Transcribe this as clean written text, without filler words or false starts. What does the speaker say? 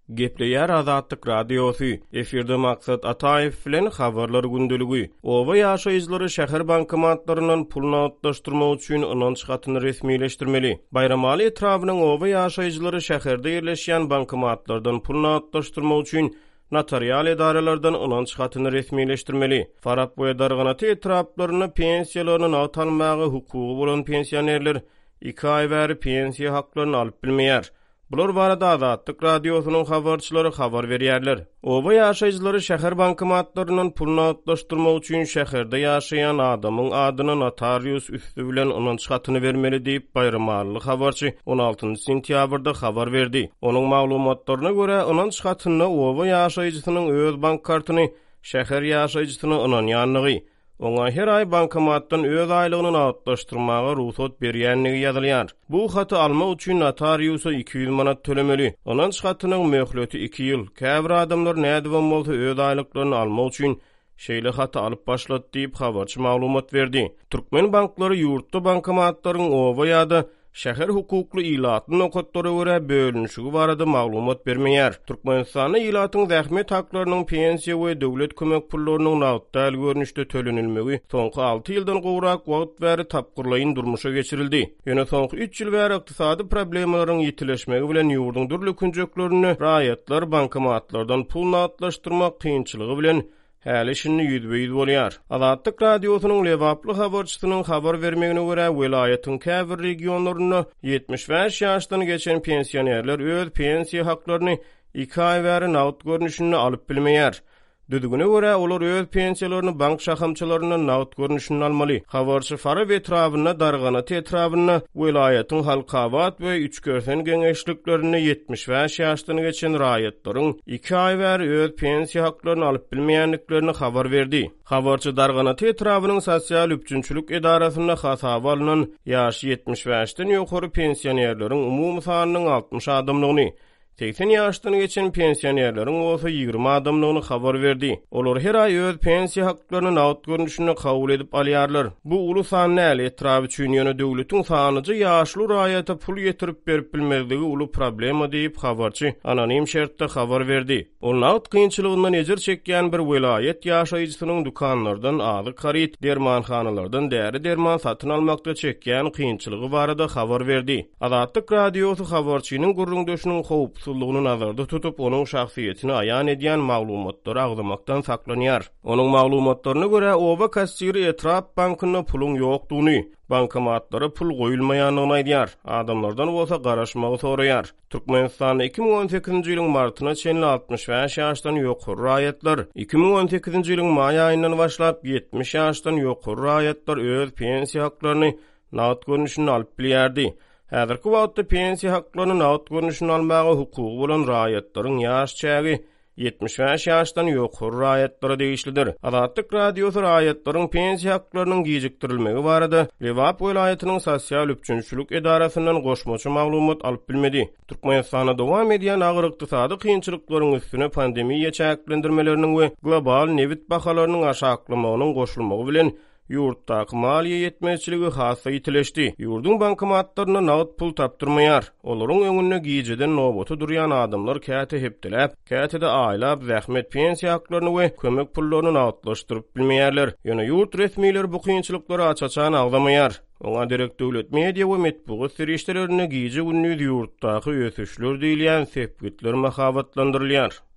Gepleýär Azatlyk Radiosy, efirde Maksat Ataýew bilen Habarlar gündeligi. Oba ýaşaýjylary şäher bankomatlaryndan pul nagtlaşdyrmak üçin ynanç hatyny resmileşdirmeli. Baýramaly etrabynyň oba ýaşaýjylary şäherde ýerleşýän bankomatlardan pul nagtlaşdyrmak üçin notarial edaralardan ynanç hatyny resmileşdirmeli. Farap we Darganata etraplarynda pensiýalaryny nagt almaga hukugy bolan pensionerler iki aý bäri pensiýa haklaryny alyp bilmeýär. Bular barada Azatlyk Radiosynyň habarçylary habar berýärler. Oba ýaşaýjylary şäher bankomatlaryndan pul nagtlaşdyrmak üçin şäherde ýaşaýan adamyň adyna notarius üsti bilen ynanç hatyny bermeli diýip, baýramalyly habarçy on altynjy sentýabrda habar berdi. Onuň maglumatlaryna görä, ynanç hatynda oba ýaşaýjysynyň öz bank kartyny şäher ýaşaýjysyna ynanýandygy, Oňa her aý bankomatdan öz aýlygyny nagtlaşdyrmaga rugsat berýändigi ýazylýar. Bu haty almak üçin notariusa 200 manat tölemeli. Ynanç hatynyň möhleti iki ýyl. Käbir adamlar nädibem bolsa öz aýlyklaryny almak üçin şeýle haty alyp başlady diýip, habarçy maglumat berdi. Türkmen banklary ýurtda bankomatlaryň oba ýa-da Şäher hukukly ilatly nokatlara görä bölünişigi barada maglumat bermeýär. Türkmenistanda ilatyň zähmet haklarynyň pensiýa we döwlet kömek pullarynyň nagt däl görnüşde tölenilmegi soňky alty ýyldan gowrak wagt bäri tapgyrlaýyn durmuşa geçirildi. Ýöne soňky üç ýyl bäri ykdysady problemalaryň ýitileşmegi bilen ýurduň dürli künjeklerinde raýatlar bankomatlardan pul nagtlaşdyrmak kynçylygy bilen häli-şindi ýüzbe-ýüz bolýar. Azatlyk Radiosynyň lebaply habarçysynyň habar bermegine görä, welaýatyň käbir regionlarynda 75 ýaşdan geçen pensionerler öz pensiýa haklaryny iki aý bäri nagt görnüşinde alyp bilmeýär. Düzgüne görä, olar öz pensiýalaryny bank şahamçalaryndan nagt görnüşinde almaly. Habarçy Farap etrabynda, Darganata etrabynda, welaýatyň Halkabat we Üçkersen geňeşliklerinde 75 ýaşdan geçen raýatlaryň iki aý bäri öz pensiýa haklaryny alyp bilmeýändiklerini habar berdi. Habarçy Darganata etrabynyň sosial üpjünçilik edarasynda hasaba alnan ýaşy 75-den ýokary pensionerleriň umumy sanynyň 60 adamdygyny, 80 ýaşdan geçen pensionerleriň bolsa 20 adamdygyny habar berdi. Olar her aý öz pensiýa haklaryny nagt görnüşinde kabul edip alýarlar. Bu uly san däl etrap üçin, ýöne döwletiň sanlyja ýaşuly raýata pul ýetirip berip bilmezligi uly problema diýip, habarçy anonim şertde habar berdi. Ol nagt kynçylygyndan ejir çekýän bir welaýat ýaşaýjysynyň dükanlardan azyk haryt, dermanhanalardan däri-derman satyn almakda çekýän kynçylygy barada habar berdi. Azatlyk Radiosy habarçynyň gürrüňdeşiniň howpsuzlygyny nazarda tutup, onuň şahsyýetini aýan edýän maglumatlary agzamakdan saklanýar. Onuň maglumatlaryna görä, oba kassiri etrap bankynda puluň ýokdugyny, bankomatlara pul goýulmaýandygyny aýdýar, adamlardan bolsa garaşmagy soraýar. Türkmenistanda 2018-nji ýylyň martyna çenli 65 ýaşdan ýokary raýatlar, 2018-nji ýylyň maý aýyndan başlap 70 ýaşdan ýokary raýatlar öz pensiýa haklaryny nagt görnüşinde alyp bilýärdi. Häzirki wagtda pensiýa haklaryny nagt görnüşinde almaga hukugy bolan raýatlaryň ýaş çägi 75 ýaşdan ýokary raýatlara degişlidir. Azatlyk Radiosy raýatlaryň pensiýa haklarynyň gijikdirilmegi barada Lebap welaýatynyň sosial üpjünçilik edarasyndan goşmaça maglumat alyp bilmedi. Türkmenistanda dowam edýän agyr ykdysady kynçylyklaryň üstüne pandemiýa çäklendirmeleriniň we global nebit bahalarynyň aşaklamagynyň goşulmagy bilen Ýurtdaky maliýe ýetmezçiligi has-da ýitileşdi. Ýurduň bankomatlarynda nagt pul tapdyrmaýar. Olaryň öňünde gijeden nobata durýan adamlar käte hepdeläp, käte-de aýlap zähmet pensiýa haklaryny we kömek pullaryny nagtlaşdyryp bilmeýärler. Ýöne ýurt resmileri bu kynçylyklary aç-açan agzamaýar. Oňa derek döwlet media we metbugat serişdelerinde gije-gündiz ýurtdaky ösüşler diýilýän sepgitler mahabatlandyrylýar.